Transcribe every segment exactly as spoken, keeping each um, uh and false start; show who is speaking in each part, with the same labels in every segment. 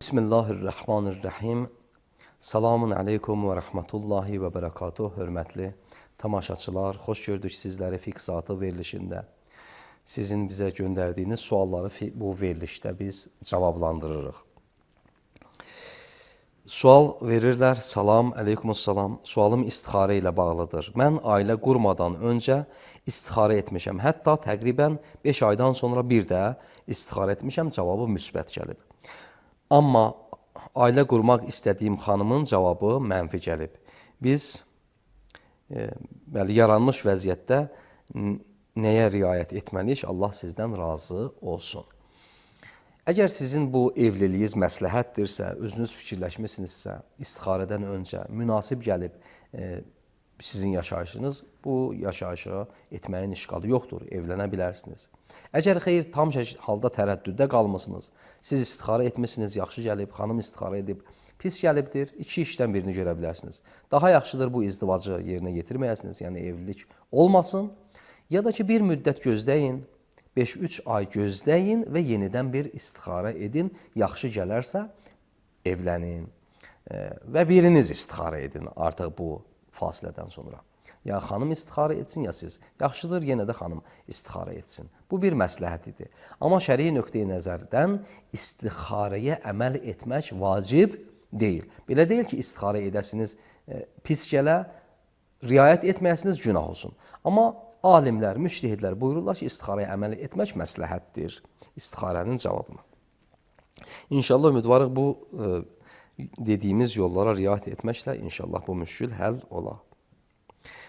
Speaker 1: Bismillahirrahmanirrahim. Salamun aleykum və rəhmətullahi və bərəkatuh. Hörmətli tamaşaçılar, xoş gördük sizləri fiqh saatı verilişində. Sizin bizə göndərdiyiniz sualları bu verilişdə biz cavablandırırıq. Sual verirlər. Salam, aleykumussalam. Sualım istixarə ilə bağlıdır. Mən ailə qurmadan öncə istixarə etmişəm. Hətta təqribən beş aydan sonra bir də istixarə etmişəm. Cavabı müsbət gəlib. Amma ailə qurmaq istədiyim xanımın cavabı mənfi gəlib. Biz e, bəli, yaranmış vəziyyətdə nəyə riayət etməliyik? Allah sizdən razı olsun. Əgər sizin bu evliliyiz məsləhətdirsə, özünüz fikirləşmisinizsə, istixarədən öncə münasib gəlib e, sizin yaşayışınız, bu yaşayışı etməyin işqalı yoxdur, evlənə bilərsiniz. Əgər xeyr, tam halda tərəddüddə qalmısınız, siz istixarə etmişsiniz, yaxşı gəlib, xanım istixarə edib, pis gəlibdir, iki işdən birini görə bilərsiniz. Daha yaxşıdır bu izdivacı yerinə getirməyəsiniz, yəni evlilik olmasın, ya da ki bir müddət gözləyin, beş üç ay gözləyin və yenidən bir istixarə edin, yaxşı gələrsə evlənin və biriniz istixarə edin artıq bu fasilədən sonra. Ya xanım istixarə etsin, ya siz. Yaxşıdır, yenə də xanım istixarə etsin. Bu bir məsləhət idi. Amma şərii nöqteyi nəzərdən istixarəyə əməl etmək vacib deyil. Belə deyil ki, istixarə edəsiniz, e, pis gələ, riayət etməyəsiniz, günah olsun. Amma alimlər, müştəhidlər buyururlar ki, istixarəyə əməl etmək məsləhətdir. İstixarənin cavabını. İnşallah ümidvarıq bu e, dediyimiz yollara riayət etməklə inşallah bu müşkül həll olar.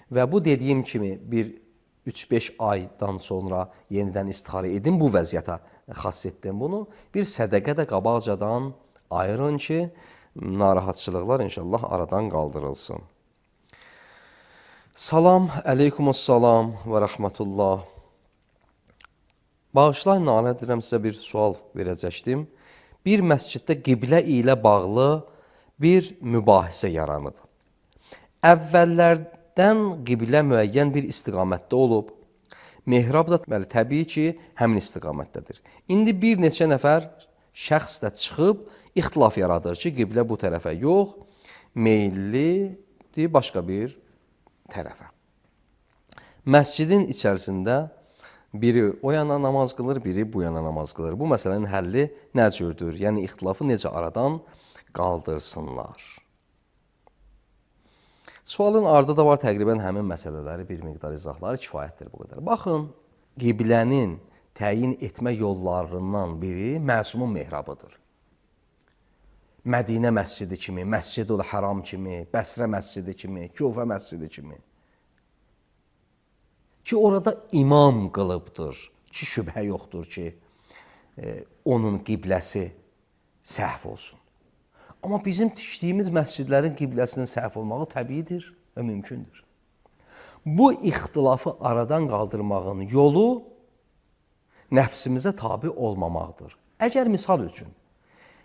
Speaker 1: Və bu dediyim kimi bir üç beş aydan sonra yenidən istixarə edin, bu vəziyyətə xass etdim bunu. Bir sədəqə də qabaqcadan ayırın ki, narahatçılıqlar inşallah aradan qaldırılsın. Salam, aleykumussalam və rəhmətullah. Bağışlayın, narahat edirəm, sizə bir sual verəcəkdim. Bir məsciddə qiblə ilə bağlı bir mübahisə yaranıb. Əvvəllərdən qiblə müəyyən bir istiqamətdə olub. Mehrab da bəli, təbii ki, həmin istiqamətdədir. İndi bir neçə nəfər şəxs də çıxıb ixtilaf yaradır ki, qiblə bu tərəfə yox, meyillidir başqa bir tərəfə. Məscidin içərisində biri o yana namaz qılır, biri bu yana namaz qılır. Bu məsələnin həlli nə cürdür? Yəni, ixtilafı necə aradan qaldırsınlar? Sualın ardı da var, təqribən həmin məsələləri bir miqdar izahları kifayətdir bu qədər. Baxın, qiblənin təyin etmə yollarından biri Məsumun mehrabıdır. Mədinə məscidi kimi, Məscid-ül Haram kimi, Bəsrə məscidi kimi, Kufə məscidi kimi. Ki orada imam qılıbdır, ki şübhə yoxdur ki, e, onun qibləsi səhv olsun. Amma bizim tikdiyimiz məscidlərin qibləsinin səhv olmağı təbiidir və mümkündür. Bu ixtilafı aradan qaldırmağın yolu nəfsimizə tabi olmamaqdır. Əgər misal üçün,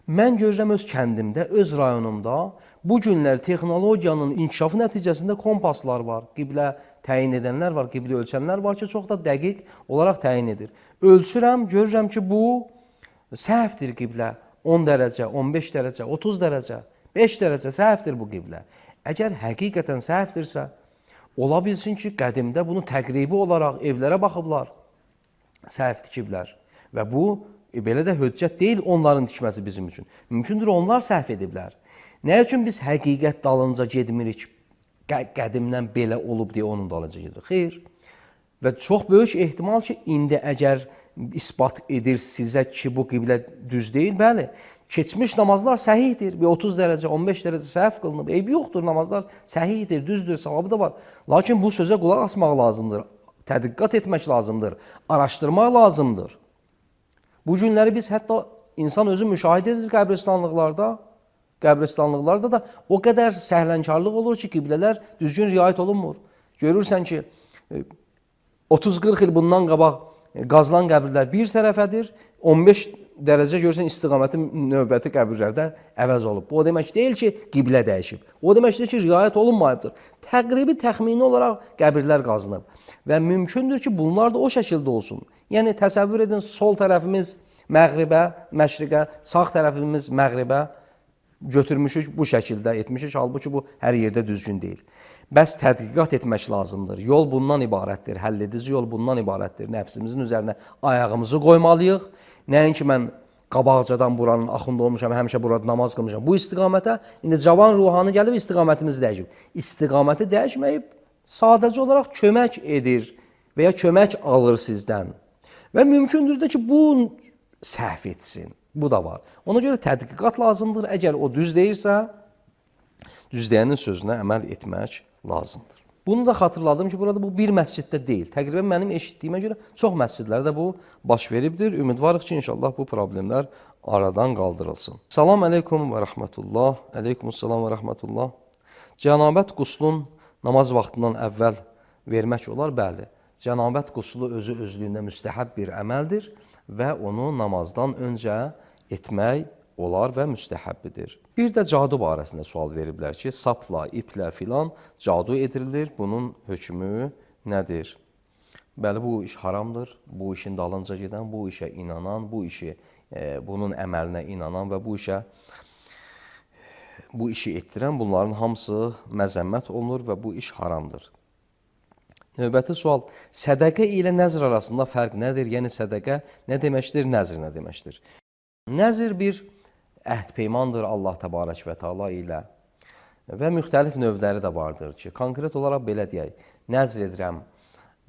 Speaker 1: mən görürəm öz kəndimdə, öz rayonumda bu günlər texnologiyanın inkişafı nəticəsində kompaslar var, qiblə təyin edənlər var, qiblə ölçənlər var ki, çox da dəqiq olaraq təyin edir. Ölçürəm, görürəm ki, bu səhvdir qiblə. on dərəcə, on beş dərəcə, otuz dərəcə, beş dərəcə səhvdir bu qiblə. Əgər həqiqətən səhvdirsə, ola bilsin ki, qədimdə bunu təqribi olaraq evlərə baxıblar, səhv tikiblər. Və bu, e, belə də höccət deyil onların tikməsi bizim üçün. Mümkündür, onlar səhv ediblər. Nə üçün biz həqiqət dalınca gedmirik? Qədimdən belə olub deyə onun dalınca gedir. Xeyr. Və çox böyük ehtimal ki, indi əgər isbat edir sizə ki, bu qiblə düz deyil, bəli, keçmiş namazlar səhihdir. Bir otuz dərəcə, on beş dərəcə səhv qılınıb. Eybi yoxdur, namazlar səhihdir, düzdür, savabı da var. Lakin bu sözə qulaq asmaq lazımdır, tədqiqat etmək lazımdır, araşdırmaq lazımdır. Bu günləri biz hətta insan özü müşahidə edir qəbristanlıqlarda, qəbristanlıqlarda da o qədər səhlənkarlıq olur ki, qiblələr düzgün riayət olunmur. Görürsən ki, otuz qırx il bundan qabaq qazılan qəbirlər bir tərəfədir, on beş dərəcə görürsən istiqaməti növbəti qəbirlərdə əvəz olub. Bu o demək deyil ki, qiblə dəyişib. O deməkdir ki, riayət olunmayıbdır. Təqribi təxmini olaraq qəbirlər qazınıb. Və mümkündür ki, bunlar da o şəkildə olsun. Yəni, təsəvvür edin, sol tərəfimiz Məğribə, məşriqə, sağ tərəfimiz məğribə götürmüşük, bu şəkildə etmişik. Halbuki bu hər yerdə düzgün deyil. Bəs tədqiqat etmək lazımdır. Yol bundan ibarətdir, həlledici yol bundan ibarətdir. Nəfsimizin üzərinə ayağımızı qoymalıyıq. Nəinki mən qabaqcadan buranın axında olmuşam, həmişə burada namaz qılmışam. Bu istiqamətə, indi cavan ruhanı gəlib istiqamətimizi dəyişib. İstiqaməti dəyişməyib, sadəcə olaraq kömək edir və ya kömək alır sizdən. Və mümkündür də ki, bu səhv etsin. Bu da var. Ona görə tədqiqat lazımdır. Əgər o düz deyirsə, düz deyənin sözünə əməl etmək lazımdır. Bunu da xatırladım ki, burada bu bir məsciddə deyil. Təqribən mənim eşitdiyimə görə çox məscidlərdə bu baş veribdir. Ümidvarıq ki, inşallah bu problemlər aradan qaldırılsın. Salam əleykum və rəhmətullah. Əleykumussalam və rəhmətullah. Cənabət quslun namaz vaxtından əvvəl vermək olar? Bəli. Cənabət quslu özü özlüyündə müstəhəb bir əməldir və onu namazdan öncə etmək olar və müstəhəbbidir. Bir də cadu barəsində sual veriblər ki, sapla, iplə filan cadu edilir. Bunun hökmü nədir? Bəli, bu iş haramdır. Bu işin dalınca gedən, bu işə inanan, bu işi, e, bunun əməlinə inanan və bu işə bu işi etdirən bunların hamısı məzəmmət olunur və bu iş haramdır. Növbəti sual, sədəqə ilə nəzr arasında fərq nədir? Yəni sədəqə nə deməkdir, nəzr nə deməkdir? Nəzr bir əhd peymandır Allah təbarək və təala ilə və müxtəlif növləri də vardır ki, konkret olaraq belə deyək, nəzr edirəm,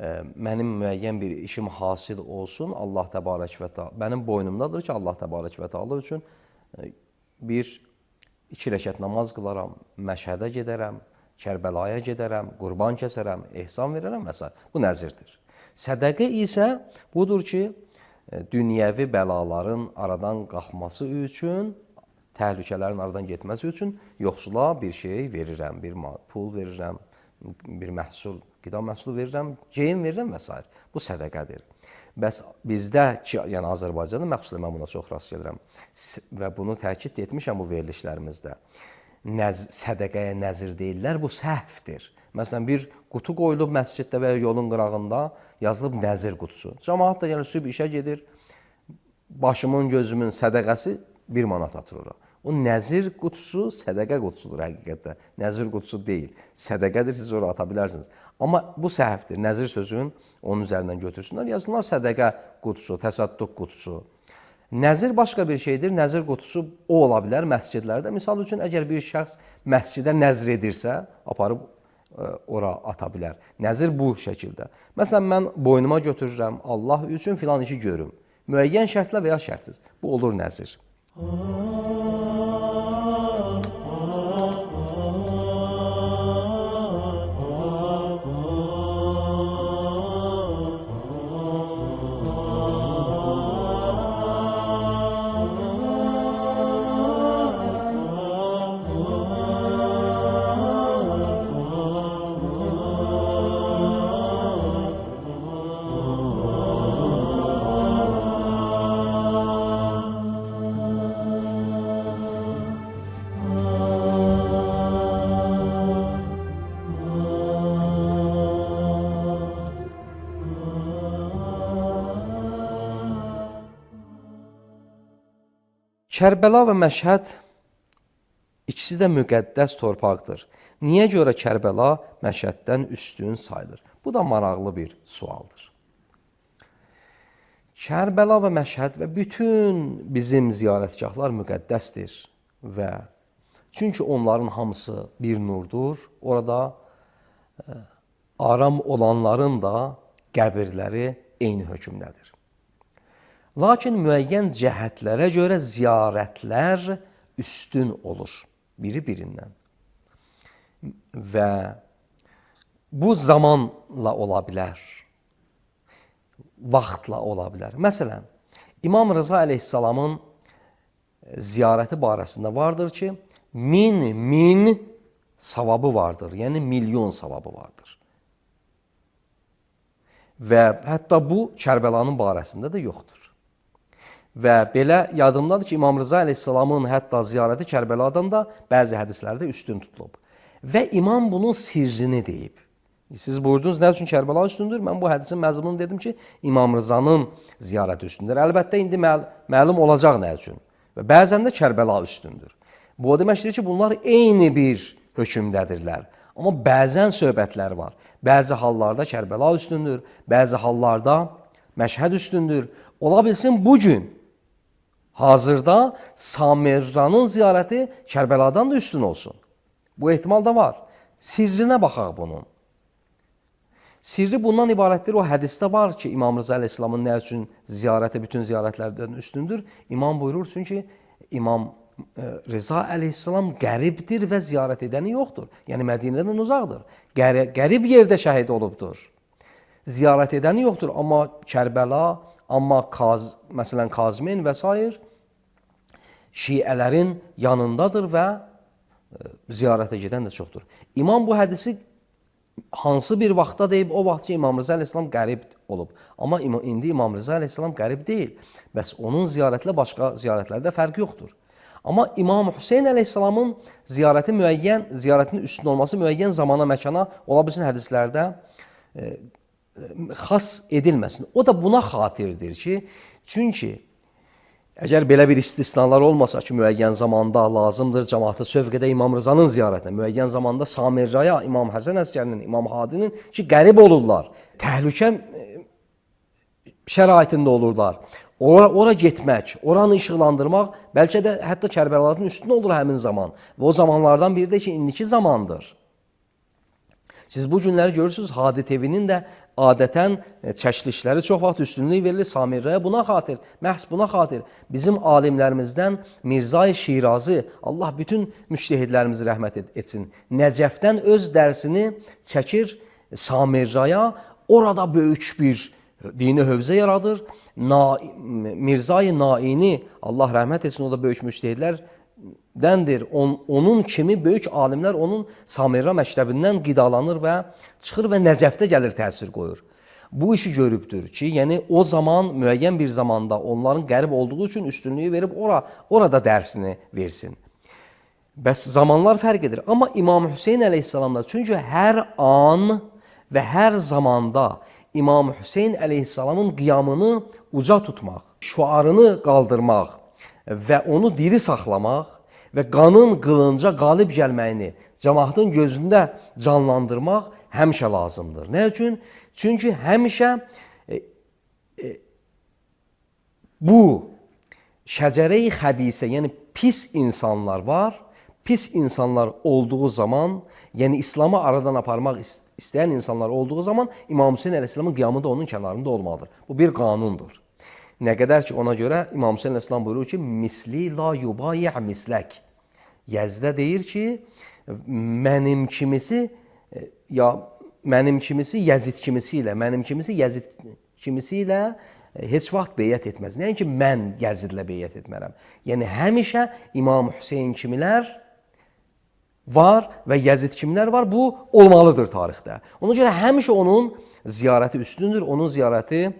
Speaker 1: e, mənim müəyyən bir işim hasil olsun, Allah təbarək və təala, mənim boynumdadır ki, Allah təbarək və təala üçün e, bir iki rəkət namaz qılaram, məşhədə gedərəm, Kərbəlaya gedərəm, qurban kəsərəm, ehsan verərəm və s. Bu nəzirdir. Sədəqə isə budur ki, dünyəvi bəlaların aradan qalxması üçün, təhlükələrin aradan getməsi üçün yoxsula bir şey verirəm, bir pul verirəm, bir məhsul, qida məhsulu verirəm, geyim verirəm və s. Bu sədəqədir. Bəs bizdə ki, yəni Azərbaycanda məxsusən mən buna çox rast gəlirəm və bunu təkid etmişəm bu verilişlərimizdə. Nəz, sədəqəyə nəzir deyirlər, bu səhvdir. Məsələn, bir qutu qoyulub məsciddə və yolun qırağında yazılıb nəzir qutusu. Cəmaat da gəlir, sübh işə gedir, başımın, gözümün sədəqəsi bir manat atır ora. O nəzir qutusu sədəqə qutusudur həqiqətdə. Nəzir qutusu deyil. Sədəqədir, siz ora ata bilərsiniz. Amma bu səhvdir. Nəzir sözün onun üzərindən götürsünlər. Yazsınlar sədəqə qutusu, təsədduq qutusu. Nəzir başqa bir şeydir. Nəzir qutusu o ola bilər məscidlərdə. Misal üçün, əgər bir şəxs məscidə nəzr edirsə, aparıb ə, ora ata bilər. Nəzir bu şəkildə. Məsələn, mən boynuma götürürəm, Allah üçün filan işi görüm. Müəyyən şərtlə və ya şərtsiz. Bu olur nəzir. Kərbəla və Məşhəd ikisi də müqəddəs torpaqdır. Niyə görə Kərbəla Məşhəddən üstün sayılır? Bu da maraqlı bir sualdır. Kərbəla və Məşhəd və bütün bizim ziyarətgahlar müqəddəsdir və çünki onların hamısı bir nurdur. Orada ə, aram olanların da qəbirləri eyni hökmdədir. Lakin müəyyən cəhətlərə görə ziyarətlər üstün olur biri birindən. Və bu zamanla ola bilər, vaxtla ola bilər. Məsələn, İmam Rıza əleyhissalamın ziyarəti barəsində vardır ki, min, min savabı vardır, yəni milyon savabı vardır. Və hətta bu Kərbəlanın barəsində də yoxdur. Və belə yadımdadır ki, İmam Rıza əleyhissalamın hətta ziyarəti Kərbəladan da bəzi hədislərdə üstün tutulub. Və imam bunun sirrini deyib. Siz buyurdunuz nə üçün Kərbəla üstündür? Mən bu hədisin məzmununu dedim ki, İmam Rızanın ziyarəti üstündür. Əlbəttə indi məl məlum olacaq nə üçün. Və bəzən də Kərbəla üstündür. Bu o deməkdir ki, bunlar eyni bir hökmdədirlər. Amma bəzən söhbətlər var. Bəzi hallarda Kərbəla üstündür, bəzi hallarda Məşhəd üstündür. Ola bilsin bugün hazırda Samirranın ziyarəti Kərbəladan da üstün olsun. Bu ehtimal da var. Sirrinə baxaq bunun. Sirri bundan ibarətdir. O hədisdə var ki, İmam Rıza Əleyhisselamın nə üçün ziyarəti bütün ziyarətlərdən üstündür? İmam buyurur çünki İmam Rıza Əleyhisselam qəribdir və ziyarət edəni yoxdur. Yəni Mədinədən uzaqdır. Qərib yerdə şəhid olubdur. Ziyarət edəni yoxdur. Amma Kərbəla, amma Kaz, məsələn Kazmin və s. Şiələrin yanındadır və ziyarətə gedən də çoxdur. İmam bu hədisi hansı bir vaxtda deyib, o vaxt ki, İmam Rıza Əleyhisselam qərib olub. Amma indi İmam Rıza Əleyhisselam qərib deyil. Bəs onun ziyarətlə başqa ziyarətlərdə fərq yoxdur. Amma İmam Hüseyn Əleyhisselamın ziyarəti müəyyən, ziyarətinin üstün olması müəyyən zamana, məkana, ola bilsin hədislərdə e, xas edilməsin. O da buna xatirdir ki, çünki əgər belə bir istisnalar olmasa ki, müəyyən zamanda lazımdır cəmaatı sövq edə İmam Rızanın ziyarətinə, müəyyən zamanda Samirraya, İmam Həsən Əskərinin, İmam Hadinin ki, qərib olurlar, təhlükə şəraitində olurlar. Ora, ora getmək, oranı işıqlandırmaq, bəlkə də hətta Kərbəlaların üstündə olur həmin zaman. Və o zamanlardan biri də ki, indiki zamandır. Siz bu günləri görürsünüz, Hadi T V-nin də adətən çəkilişləri çox vaxt üstünlük verilir Samirraya buna xatir, məhz buna xatir. Bizim alimlərimizdən Mirzai Şirazi, Allah bütün müştehidlərimizi rəhmət etsin, Nəcəfdən öz dərsini çəkir Samirraya, orada böyük bir dini hövzə yaradır. Na, Mirzai Naini, Allah rəhmət etsin, o da böyük müştehidlərdəndir. On, onun kimi böyük alimlər onun Samirra məktəbindən qidalanır və çıxır və Nəcəfdə gəlir təsir qoyur. Bu işi görübdür ki, yəni o zaman müəyyən bir zamanda onların qərib olduğu üçün üstünlüyü verib ora, orada dərsini versin. Bəs zamanlar fərq edir. Amma İmam Hüseyn Əleyhisselamda, çünki hər an və hər zamanda İmam Hüseyn Əleyhisselamın qiyamını uca tutmaq, şüarını qaldırmaq və onu diri saxlamaq və qanın qılınca qalib gəlməyini cəmaatın gözündə canlandırmaq həmişə lazımdır. Nə üçün? Çünki həmişə e, e, bu şəcərə-i xəbisə, yəni pis insanlar var. Pis insanlar olduğu zaman, yəni İslamı aradan aparmaq istəyən insanlar olduğu zaman İmam Hüseyn Əleyhisselamın qiyamı da onun kənarında olmalıdır. Bu bir qanundur. Nə qədər ki, ona görə İmam Hüseyn Əleyhisselam buyurur ki, misli la yubayi' mislək. Yəzdə deyir ki, mənim kimisi, ya mənim kimisi Yəzid kimisi ilə, mənim kimisi Yəzid kimisi ilə heç vaxt beyyət etməz. Nəinki mən Yəzidlə beyyət etmərəm. Yəni, həmişə İmam Hüseyn kimilər var və Yəzid kimlər var, bu olmalıdır tarixdə. Ona görə həmişə onun ziyarəti üstündür, onun ziyarəti,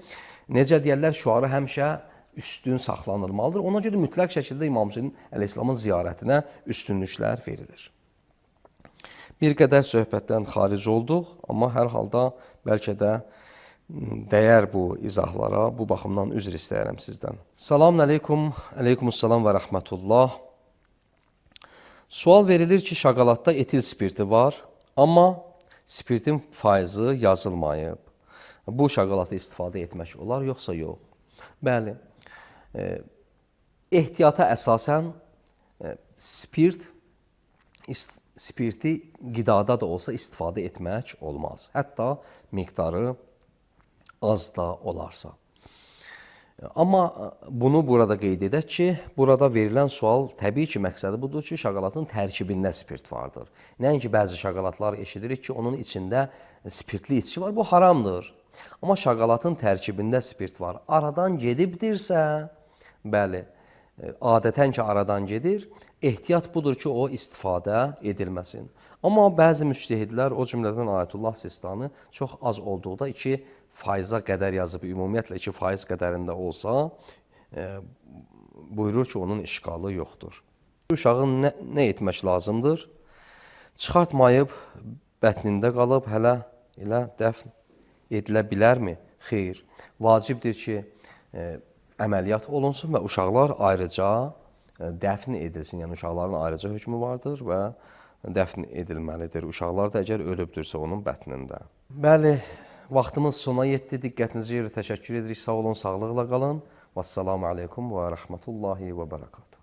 Speaker 1: necə deyərlər, şüarı həmişə üstün saxlanılmalıdır. Ona görə mütləq şəkildə İmam Hüseyn Əleyhisselamın ziyarətinə üstünlüklər verilir. Bir qədər söhbətdən xaric olduq, amma hər halda bəlkə də dəyər bu izahlara, bu baxımdan üzr istəyərəm sizdən. Salamun aleykum, aleykumussalam və rəhmətullah. Sual verilir ki, şokoladda etil spirti var, amma spirtin faizi yazılmayıb. Bu şokoladda istifadə etmək olar, yoxsa yox? Bəli, e, ehtiyata əsasən e, spirt, ist, spirti qidada da olsa istifadə etmək olmaz. Hətta miqdarı az da olarsa. Amma bunu burada qeyd edək ki, burada verilən sual təbii ki, məqsədi budur ki, şokoladın tərkibində spirt vardır. Nəinki bəzi şokoladlar eşidirik ki, onun içində spirtli içki var, bu haramdır. Amma şokoladın tərkibində spirt var. Aradan gedibdirsə, bəli, adətən ki, aradan gedir, ehtiyat budur ki, o istifadə edilməsin. Amma bəzi müştehidlər, o cümlədən Ayətullah Sistani çox az olduqda iki faiza qədər yazıb, ümumiyyətlə iki faiz qədərində olsa, e, buyurur ki, onun işqalı yoxdur. Uşağın nə, nə etmək lazımdır? Çıxartmayıb, bətnində qalıb, hələ ilə dəfn edilə bilərmi? Xeyr. Vacibdir ki, e, əməliyyat olunsun və uşaqlar ayrıca e, dəfn edilsin. Yəni uşaqların ayrıca hökmü vardır və dəfn edilməlidir. Uşaqlar da əgər ölübdürsə onun bətnində. Bəli, vaxtımız sona yetdi. Diqqətinizə görə təşəkkür edirik. Sağ olun, sağlıqla qalın. Vəssalamu aleykum və rəhmətullahi və bərəkatuhu.